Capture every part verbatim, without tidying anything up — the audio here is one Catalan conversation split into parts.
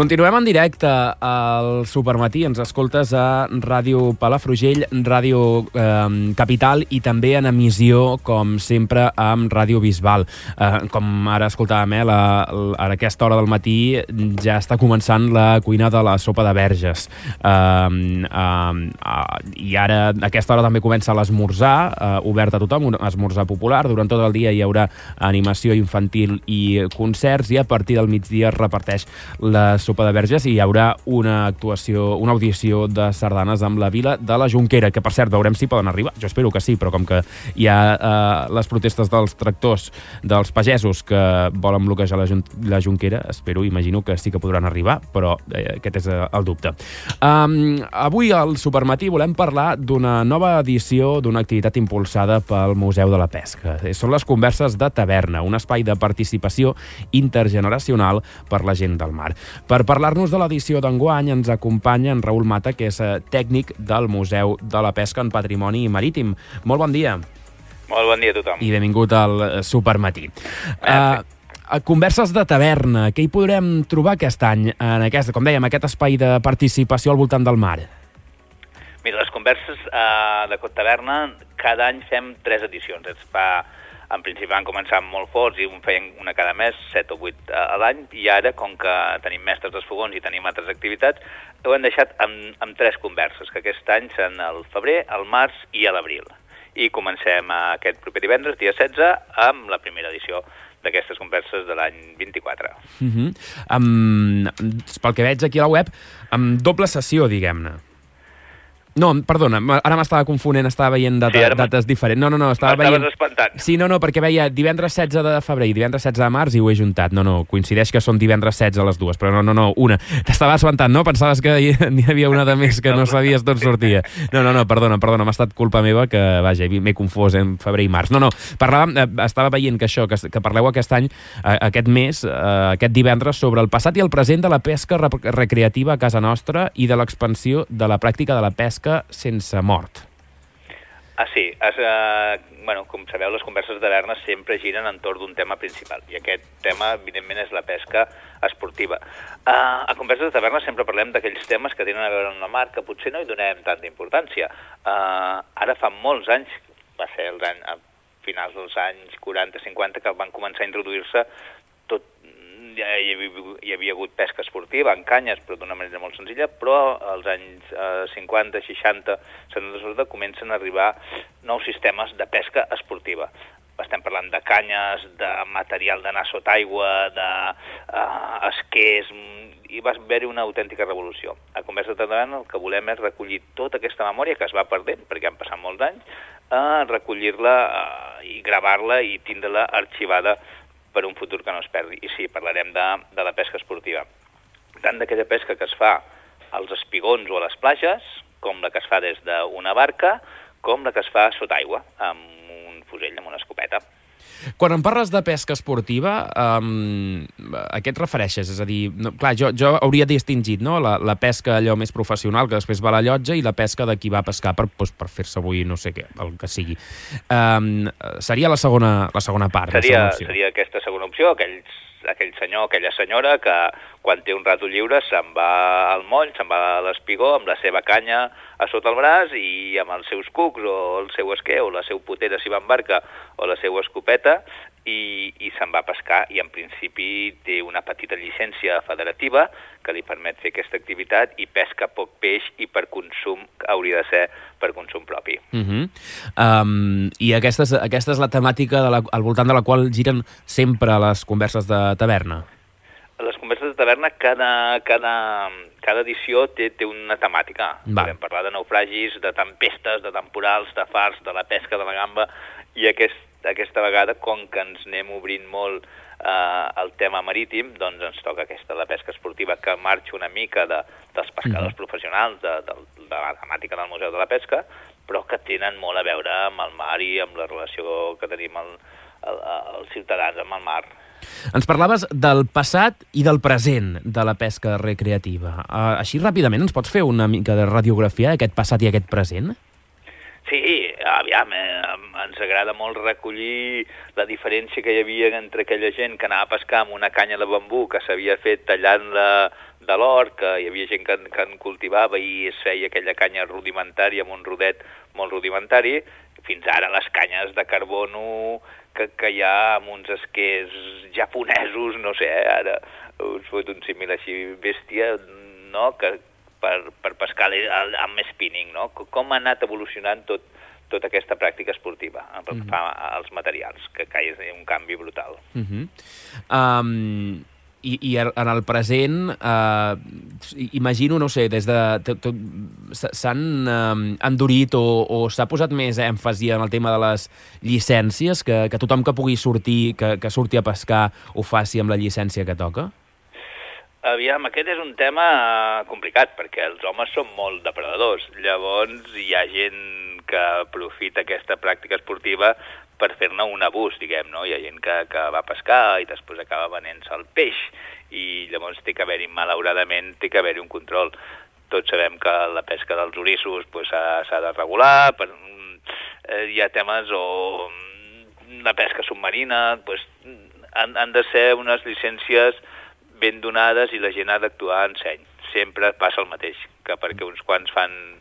Continuem en directe al Supermatí. Ens escoltes a Ràdio Palafrugell, Ràdio eh, Capital i també en emissió, com sempre, amb Ràdio Bisbal. Eh, com ara escoltàvem, eh, la, la, a aquesta hora del matí ja està començant la cuina de la sopa de verges. Eh, eh, eh, I ara, a aquesta hora també comença l'esmorzar, eh, obert a tothom, un esmorzar popular. Durant tot el dia hi haurà animació infantil i concerts, i a partir del migdia es reparteix la sopa de verges i hi haurà una actuació, una audició de sardanes amb la Vila de la Jonquera, que per cert veurem si poden arribar. Jo espero que sí, però com que hi ha eh, les protestes dels tractors, dels pagesos que volen bloquejar la, la Jonquera, espero, imagino que sí que podran arribar, però eh, aquest és el dubte. Um, avui al Supermatí volem parlar d'una nova edició d'una activitat impulsada pel Museu de la Pesca. Són les converses de taverna, un espai de participació intergeneracional per la gent del mar. Per parlar-nos de l'edició d'enguany ens acompanya en Raül Mata, que és tècnic del Museu de la Pesca en Patrimoni Marítim. Molt bon dia. Molt bon dia a tothom. I benvingut al Supermatí. Uh, converses de taverna, què hi podrem trobar aquest any, en aquest, com dèiem, aquest espai de participació al voltant del mar? Mira, les converses uh, de Cot Taverna, cada any fem tres edicions. Es fa... En principi van començar molt forts i un feien una cada mes, set o vuit a l'any, i ara, com que tenim mestres dels fogons i tenim altres activitats, ho hem deixat amb, amb tres converses, que aquest any són el febrer, el març i a l'abril. I comencem aquest proper divendres, dia setze, amb la primera edició d'aquestes converses de l'any vint-i-quatre. Uh-huh. um, pel que veig aquí a la web, amb doble sessió, diguem-ne. No, perdona, ara m'estava confonent, estava veient data, sí, dates diferents. No, no, no, estava veient... M'estaves espantant. Sí, no, no, perquè veia divendres setze de febrer i divendres setze de març i ho he juntat. No, no, coincideix que són divendres setze a les dues, però no, no, no, una. T'estava espantant, no? Pensaves que n'hi havia una de més que no sabies d'on sortia. No, no, no, perdona, perdona, m'ha estat culpa meva que, vaja, m'he confós en febrer i març. No, no, parlàvem, estava veient que això, que, que parleu aquest any, aquest mes, aquest divendres, sobre el passat i el present de la pesca recreativa a casa nostra i de l'expansió de la pràctica de la pesca sense mort. Ah, sí. Es, eh, bueno, com sabeu, les converses de taverna sempre giren entorn d'un tema principal, i aquest tema, evidentment, és la pesca esportiva. Eh, a converses de taverna sempre parlem d'aquells temes que tenen a veure amb la mar, que potser no hi donem tanta importància. Eh, ara fa molts anys, va ser els anys, a finals dels anys quaranta cinquanta, que van començar a introduir-se tot. Ja hi havia, hi havia hagut pesca esportiva en canyes, però d'una manera molt senzilla, però als anys eh, cinquanta, seixanta, setanta, comencen a arribar nous sistemes de pesca esportiva. Estem parlant de canyes, de material d'anar sota aigua, d'esquers, eh, i va haver-hi una autèntica revolució. A Conversa de Taverna el que volem és recollir tota aquesta memòria que es va perdent, perquè han passat molts anys, eh, recollir-la eh, i gravar-la i tindre-la arxivada per un futur que no es perdi. I sí, parlarem de, de la pesca esportiva. Tant d'aquella pesca que es fa als espigons o a les platges, com la que es fa des d'una barca, com la que es fa sota aigua, amb un fusell, amb una escopeta. Quan em parles de pesca esportiva, um, a què et refereixes? És a dir, no, clar, jo, jo hauria distingit, no?, la, la pesca allò més professional, que després va a la llotja, i la pesca de qui va a pescar per, doncs, per fer-se avui no sé què, el que sigui. Um, seria la segona, la segona part. Seria, la seria aquesta segona opció, aquells, aquell senyor, aquella senyora que quan té un rato lliure se'n va al moll, se'n va a l'espigó amb la seva canya a sota el braç i amb els seus cucs o el seu esquer o la seu potera si va en barca o la seva escopeta i, i se'n va a pescar, i en principi té una petita llicència federativa que li permet fer aquesta activitat i pesca poc peix i per consum, hauria de ser per consum propi. Uh-huh. um, I aquesta és, aquesta és la temàtica de la, al voltant de la qual giren sempre les converses de taverna? Les converses de taverna, cada, cada, cada edició té, té una temàtica. Va. Podem parlar de naufragis, de tempestes, de temporals, de fars, de la pesca de la gamba, i aquest, aquesta vegada, com que ens anem obrint molt eh, el tema marítim, doncs ens toca aquesta, la pesca esportiva, que marxa una mica de, dels pescadors uh-huh. professionals, de, de, de la temàtica del Museu de la Pesca, però que tenen molt a veure amb el mar i amb la relació que tenim el, el, els ciutadans amb el mar. Ens parlaves del passat i del present de la pesca recreativa. Uh, així ràpidament ens pots fer una mica de radiografia d'aquest passat i aquest present? Sí, aviam, eh, ens agrada molt recollir la diferència que hi havia entre aquella gent que anava a pescar amb una canya de bambú que s'havia fet tallant-la de l'or, que hi havia gent que, que en cultivava i es feia aquella canya rudimentària amb un rodet molt rudimentari, fins ara les canyes de carbono que, que hi ha amb uns esquers japonesos, no sé, eh, ara us fot un símil així bèstia, no?, que per, per pescar amb spinning, no? Com ha anat evolucionant tot, tota aquesta pràctica esportiva pel que fa als materials, que, que és un canvi brutal. Uh -huh. um... I, i en el present, eh, imagino, no sé, des de... s'han eh, endurit o, o s'ha posat més èmfasi en el tema de les llicències, que, que tothom que pugui sortir, que, que surti a pescar, ho faci amb la llicència que toca? Aviam, aquest és un tema complicat, perquè els homes són molt depredadors. Llavors, hi ha gent que aprofita aquesta pràctica esportiva per fer-ne un abús, diguem, no? Hi ha gent que, que va pescar i després acaba venent-se el peix i llavors té que haver-hi, malauradament, té que haver-hi un control. Tots sabem que la pesca dels orissos pues, s'ha de regular, per, eh, hi ha temes o la pesca submarina, pues, han, han de ser unes llicències ben donades i la gent ha d'actuar en seny. Sempre passa el mateix, que perquè uns quants fan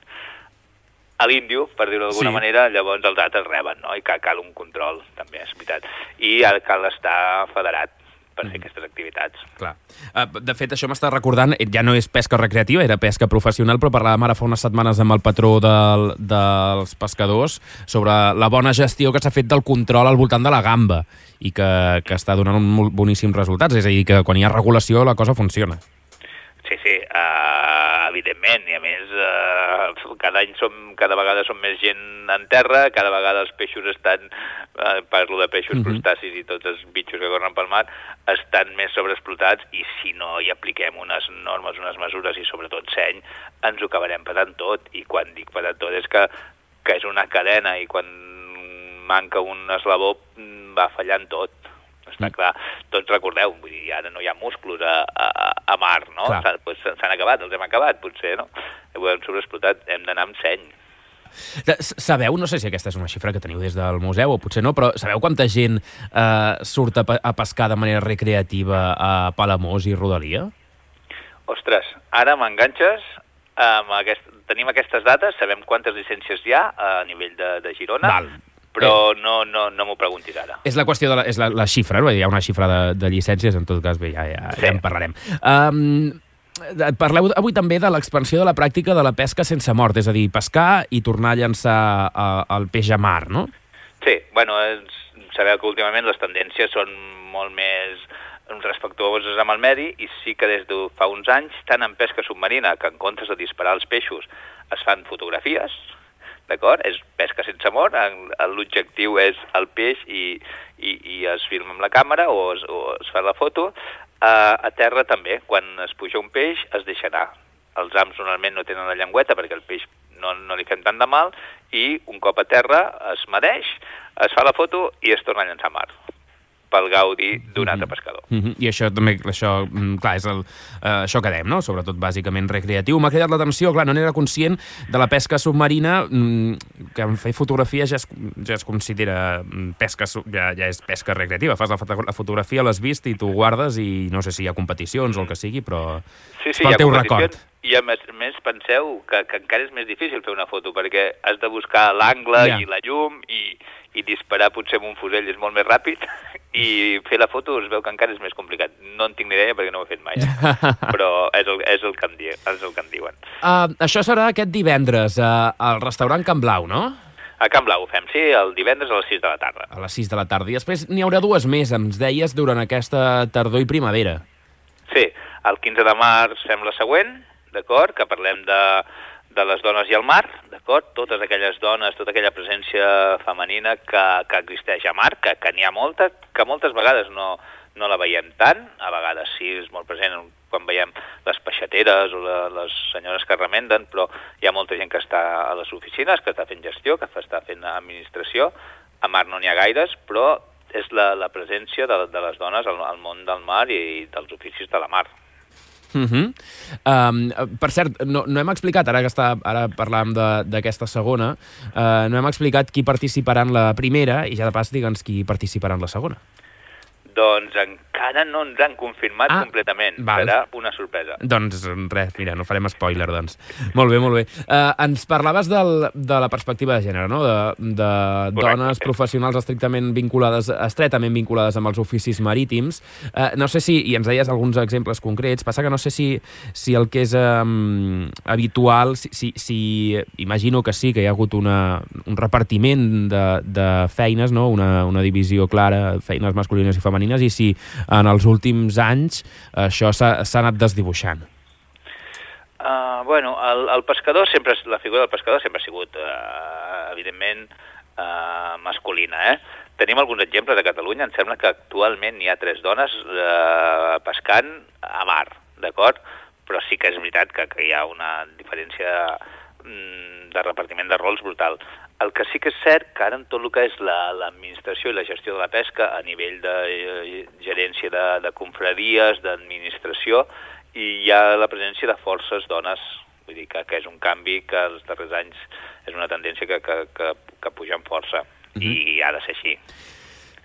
a l'índio, per dir-ho d'alguna sí. manera, llavors els altres reben, no? I cal, cal un control, també, és veritat. I ara cal estar federat per fer mm. aquestes activitats. Clar. De fet, això m'està recordant, ja no és pesca recreativa, era pesca professional, però parlàvem ara fa unes setmanes amb el patró del, dels pescadors sobre la bona gestió que s'ha fet del control al voltant de la gamba i que, que està donant un boníssims resultats. És a dir, que quan hi ha regulació la cosa funciona. Sí, sí, uh, evidentment, i a més uh, cada any som, cada vegada som més gent en terra, cada vegada els peixos estan, uh, parlo de peixos, uh-huh. crustacis i tots els bitxos que corren pel mar, estan més sobreexplotats i si no hi apliquem unes normes, unes mesures i sobretot seny, ens ho acabarem patant tot. I quan dic patant tot és que, que és una cadena i quan manca un eslabó va fallant tot. Està clar, tots recordeu, vull dir, ara no hi ha musclos a, a, a mar, no? S'han pues, acabat, els hem acabat, potser, no? Ho hem sobreexplotat, hem d'anar amb seny. Sabeu, no sé si aquesta és una xifra que teniu des del museu o potser no, però sabeu quanta gent eh, surt a, a pescar de manera recreativa a Palamós i rodalia? Ostres, ara m'enganxes, amb aquest, tenim aquestes dates, sabem quantes llicències hi ha a nivell de, de Girona, Val. però eh. no, no, no m'ho preguntis ara. És la qüestió de la, és la, la xifra, no? Hi ha una xifra de, de llicències, en tot cas, bé, ja, ja, sí. ja en parlarem. Um, parleu avui també de l'expansió de la pràctica de la pesca sense mort, és a dir, pescar i tornar a llançar a, el peix a mar, no? Sí, bueno, és, sabeu que últimament les tendències són molt més respectuoses amb el medi i sí que des de fa uns anys, tant en pesca submarina que en comptes de disparar els peixos es fan fotografies, d'acord? És pesca sense mort, l'objectiu és el peix i, i, i es filma amb la càmera o es, o es fa la foto. Uh, a terra també, quan es puja un peix es deixa anar. Els ams normalment no tenen la llengüeta perquè el peix no, no li fem tant de mal i un cop a terra es medeix, es fa la foto i es torna a llançar a mar pel gaudi d'un altre pescador. Mm-hmm. I això també, això, clar, és el, uh, això que dèiem, no? Sobretot bàsicament recreatiu. M'ha cridat l'atenció, clar, no n'era conscient de la pesca submarina, mm, que en fer fotografia ja es, ja es considera pesca, ja, ja és pesca recreativa. Fas la, la fotografia, l'has vist i tu guardes i no sé si hi ha competicions o el que sigui, però sí, sí, és pel teu record. I a més, més penseu que, que encara és més difícil fer una foto perquè has de buscar l'angle ja. i la llum i, i disparar potser amb un fusell és molt més ràpid i fer la foto es veu que encara és més complicat. No en tinc ni idea perquè no ho he fet mai, eh? Però és el, és, el que em di, és el que em diuen. Uh, això serà aquest divendres uh, al restaurant Can Blau, no? A Can Blau ho fem, sí, el divendres a les sis de la tarda. A les sis de la tarda. I després n'hi haurà dues més, ens deies, durant aquesta tardor i primavera. Sí, el quinze de març fem la següent, d'acord, que parlem de, de les dones i el mar, d'acord? Totes aquelles dones, tota aquella presència femenina que, que existeix a mar, que, que n'hi ha molta, que moltes vegades no, no la veiem tant, a vegades sí, és molt present quan veiem les peixateres o la, les senyores que remenden, però hi ha molta gent que està a les oficines, que està fent gestió, que està fent administració, a mar no n'hi ha gaires, però és la, la presència de, de les dones al, al món del mar i dels oficis de la mar. Uh-huh. um, per cert, no, no hem explicat, ara que està, ara parlàvem d'aquesta segona, uh, no hem explicat qui participarà en la primera i ja de pas digue'ns qui participarà en la segona. Doncs encara no ens han confirmat ah, completament. Val. Serà una sorpresa. Doncs res, mira, no farem spoiler, doncs. Molt bé, molt bé. Uh, ens parlaves del, de la perspectiva de gènere, no? De, de dones professionals estrictament vinculades, estretament vinculades amb els oficis marítims. Uh, no sé si, i ens deies alguns exemples concrets, passa que no sé si, si el que és um, habitual, si, si, si imagino que sí, que hi ha hagut una, un repartiment de, de feines, no? Una, una divisió clara, feines masculines i femenines, i si en els últims anys això s'ha anat desdibuixant. Uh, bueno, el, el pescador sempre, la figura del pescador sempre ha sigut, uh, evidentment, uh, masculina. Eh? Tenim alguns exemples a Catalunya, em sembla que actualment hi ha tres dones uh, pescant a mar, d'acord? Però sí que és veritat que, que hi ha una diferència mm, de repartiment de rols brutal. El que sí que és cert que ara en tot el que és l'administració la, i la gestió de la pesca a nivell de eh, gerència de, de confraries, d'administració, i hi ha la presència de forces dones. Vull dir que, que és un canvi que els darrers anys és una tendència que, que, que, que puja amb força. Mm-hmm. I ha de ser així.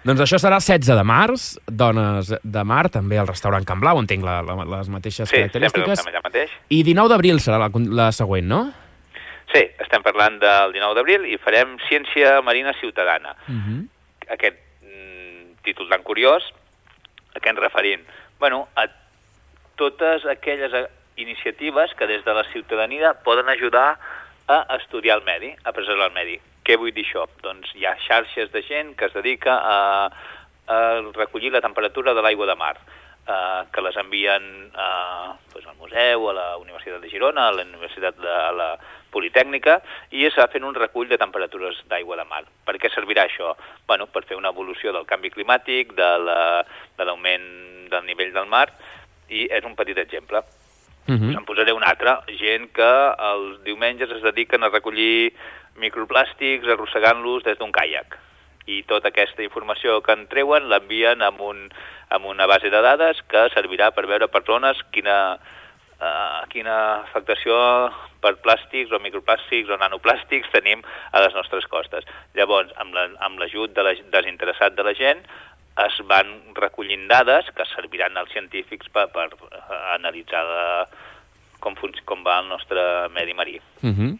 Doncs això serà setze de març, dones de mar, també al restaurant Can Blau, entenc la, la, les mateixes sí, característiques. Sí, sempre mateix. I dinou d'abril serà la, la següent, no? Sí, estem parlant del dinou d'abril i farem Ciència Marina Ciutadana. Uh-huh. Aquest mm, títol tan curiós, a què ens referim? Bueno, a totes aquelles iniciatives que des de la ciutadania poden ajudar a estudiar el medi, a preservar el medi. Què vull dir això? Doncs hi ha xarxes de gent que es dedica a, a recollir la temperatura de l'aigua de mar, eh, que les envien a, doncs al museu, a la Universitat de Girona, a la Universitat de a la Politècnica, i es va fent un recull de temperatures d'aigua de mar. Per què servirà això? Bueno, per fer una evolució del canvi climàtic, de l'augment la, del nivell del mar, i és un petit exemple. Uh-huh. En posaré un altre. Gent que els diumenges es dediquen a recollir microplàstics arrossegant-los des d'un caiac. I tota aquesta informació que en treuen l'envien amb, un, amb una base de dades que servirà per veure per zones quina, uh, quina afectació per plàstics o microplàstics o nanoplàstics tenim a les nostres costes. Llavors, amb l'ajut la, de la, desinteressat de la gent, es van recollint dades que serviran als científics per, per analitzar de, com, com va el nostre medi marí. Uh-huh.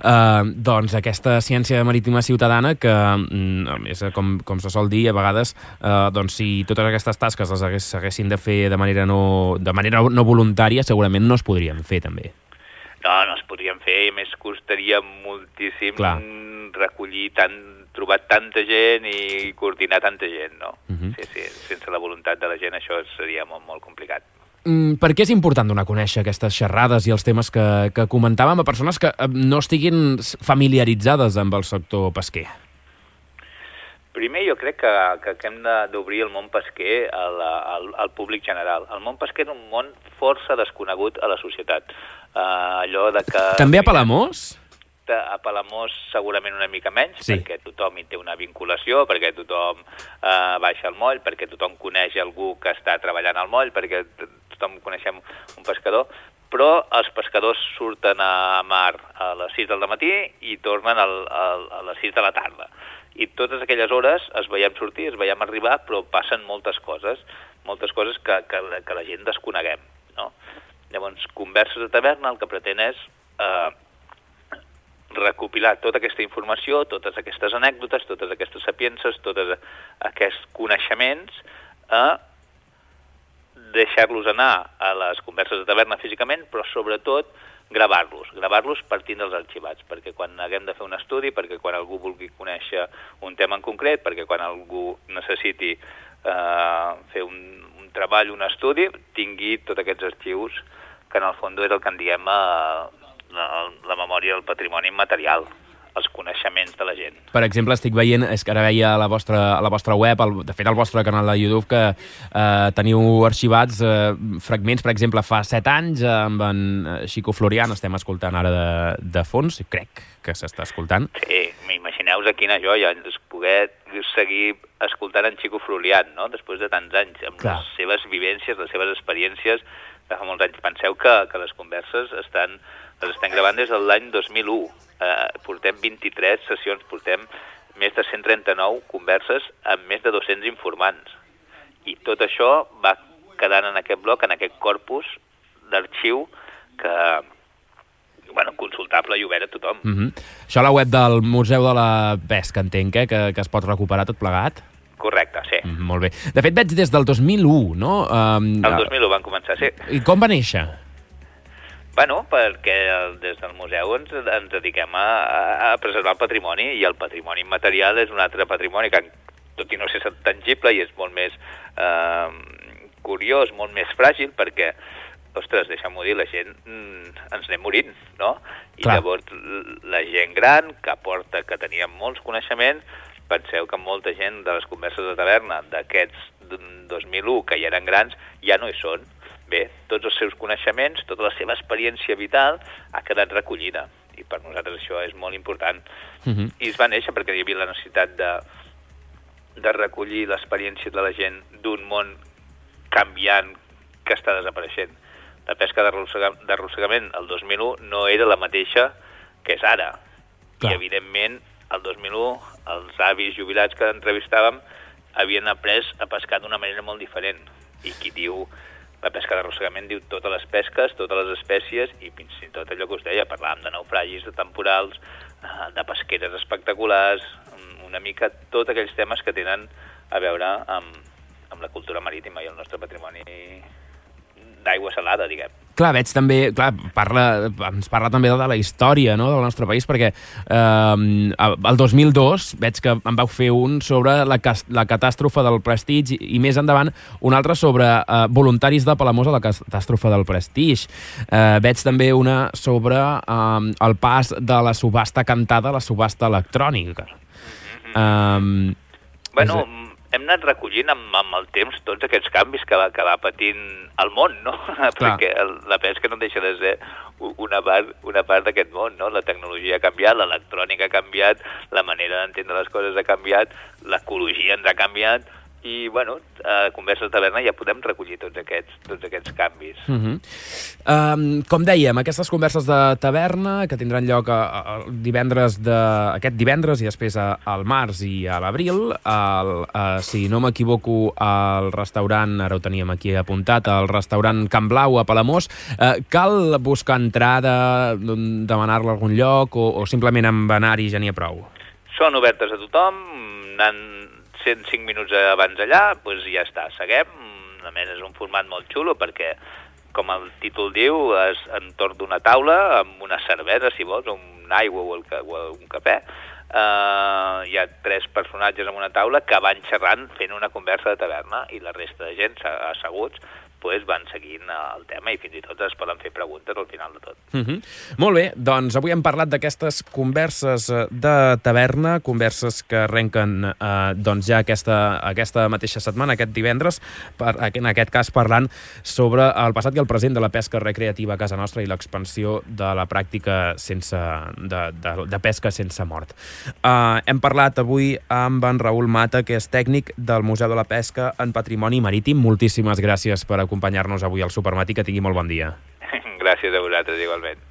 Uh, doncs aquesta ciència marítima ciutadana que, mm, és, com, com se sol dir a vegades, uh, doncs si totes aquestes tasques les hagués, haguessin de fer de manera, no, de manera no voluntària, segurament no es podrien fer també. No, no es podrien fer, i més costaria moltíssim Clar. recollir, tant, trobar tanta gent i coordinar tanta gent, no? Uh-huh. Sí, sí, sense la voluntat de la gent això seria molt, molt complicat. Mm, per què és important donar a conèixer aquestes xerrades i els temes que, que comentàvem a persones que no estiguin familiaritzades amb el sector pesquer? Primer, jo crec que, que, que hem d'obrir el món pesquer al, al, al públic general. El món pesquer és un món força desconegut a la societat. Uh, allò de que... També a Palamós? A Palamós segurament una mica menys, sí. Perquè tothom hi té una vinculació, perquè tothom uh, baixa al moll, perquè tothom coneix algú que està treballant al moll, perquè tothom coneixem un pescador, però els pescadors surten a mar a les sis del matí i tornen al, al, a les sis de la tarda. I totes aquelles hores es veiem sortir, es veiem arribar, però passen moltes coses, moltes coses que, que, que la gent desconeguem, no? Llavors, Converses de Taverna el que pretén és eh, recopilar tota aquesta informació, totes aquestes anècdotes, totes aquestes sapiences, tots aquests coneixements, a deixar-los anar a les converses de taverna físicament, però sobretot gravar-los, gravar-los partint dels arxivats, perquè quan haguem de fer un estudi, perquè quan algú vulgui conèixer un tema en concret, perquè quan algú necessiti eh, fer un, un treball, un estudi, tingui tots aquests arxius, que en el fons és el que en diem eh, la, la memòria del patrimoni immaterial, els coneixements de la gent. Per exemple, estic veient, és que ara veia a la vostra, a la vostra web, el, de fet al vostre canal de YouTube, que eh, teniu arxivats eh, fragments, per exemple, fa set anys, amb en Xico Florian, estem escoltant ara de, de fons, crec que s'està escoltant. Sí, imagineu-vos quina joia, poder seguir escoltant en Xico Florian, no?, després de tants anys, amb Clar. les seves vivències, les seves experiències, de fa molts anys. Penseu que, que les converses estan, les estem gravant des de l'any dos mil u. Eh, portem vint-i-tres sessions, portem més de cent trenta-nou converses amb més de dos-cents informants. I tot això va quedant en aquest bloc, en aquest corpus d'arxiu que, bueno, consultable i obert a tothom. Mm-hmm. Això a la web del Museu de la Pesca, entenc, eh? que, que es pot recuperar tot plegat? Correcte, sí. Mm, molt bé. De fet, veig des del dos mil u, no? Um, el dos mil u van començar, sí. I com va néixer? Bueno, perquè des del museu ens, ens dediquem a, a preservar el patrimoni, i el patrimoni immaterial és un altre patrimoni que, tot i no ser tangible, i és molt més eh, curiós, molt més fràgil, perquè, ostres, deixa'm-ho dir, la gent mm, ens anem morint, no? I Clar. Llavors la gent gran, que aporta, que tenia molts coneixements, penseu que molta gent de les converses de taverna d'aquests dos mil u, que ja eren grans, ja no hi són. Bé, tots els seus coneixements, tota la seva experiència vital ha quedat recollida, i per nosaltres això és molt important. Uh-huh. I es va néixer perquè hi havia la necessitat de, de recollir l'experiència de la gent d'un món canviant que està desapareixent. La pesca d'arrossegament el dos mil u no era la mateixa que és ara. Clar. I evidentment el dos mil u els avis jubilats que entrevistàvem havien après a pescar d'una manera molt diferent. I qui diu la pesca d'arrossegament diu totes les pesques, totes les espècies, i fins i tot allò que us deia, parlàvem de naufragis, de temporals, de pesqueres espectaculars, una mica tots aquells temes que tenen a veure amb, amb la cultura marítima i el nostre patrimoni d'aigua salada, diguem. Clar, veig també, clar, parla, ens parla també de la història, no?, del nostre país, perquè eh, el dos mil dos veig que en vau fer un sobre la, la catàstrofe del Prestige, i, i més endavant un altre sobre eh, voluntaris de Palamós a la catàstrofe del Prestige. Eh, veig també una sobre eh, el pas de la subhasta cantada a la subhasta electrònica. Mm-hmm. eh, bueno, és... hem anat recollint amb, amb el temps tots aquests canvis que va, que va patint el món, no? Clar. Perquè el, la pesca no deixa de ser una part, una part d'aquest món, no? La tecnologia ha canviat, l'electrònica ha canviat, la manera d'entendre les coses ha canviat, l'ecologia ens ha canviat, i, bueno, a Converses de Taverna ja podem recollir tots aquests, tots aquests canvis. Uh-huh. um, com dèiem, aquestes Converses de Taverna, que tindran lloc a, a, divendres de, aquest divendres i després a, al març i a l'abril, si no m'equivoco, al restaurant, ara ho teníem aquí apuntat, al restaurant Can Blau a Palamós, uh, cal buscar entrada, demanar-la a algun lloc, o, o simplement amb anar-hi ja n'hi ha prou? Són obertes a tothom, anant cent cinc minuts abans allà, doncs ja està, seguem. A més, és un format molt xulo perquè, com el títol diu, és entorn d'una taula amb una cervesa, si vols, una aigua o, el, o un cafè. Uh, hi ha tres personatges en una taula que van xerrant fent una conversa de taverna, i la resta de gent asseguts pues, van seguint el tema, i fins i tot es poden fer preguntes al final de tot. Uh-huh. Molt bé, doncs avui hem parlat d'aquestes converses de taverna, converses que arrenquen eh, doncs ja aquesta, aquesta mateixa setmana, aquest divendres, per, en aquest cas parlant sobre el passat i el present de la pesca recreativa a casa nostra i l'expansió de la pràctica sense, de, de, de pesca sense mort. Uh, hem parlat avui amb en Raül Mata, que és tècnic del Museu de la Pesca en Patrimoni Marítim. Moltíssimes gràcies per acompanyar-nos avui al Supermatí, que tingui molt bon dia. Gràcies a vosaltres, igualment.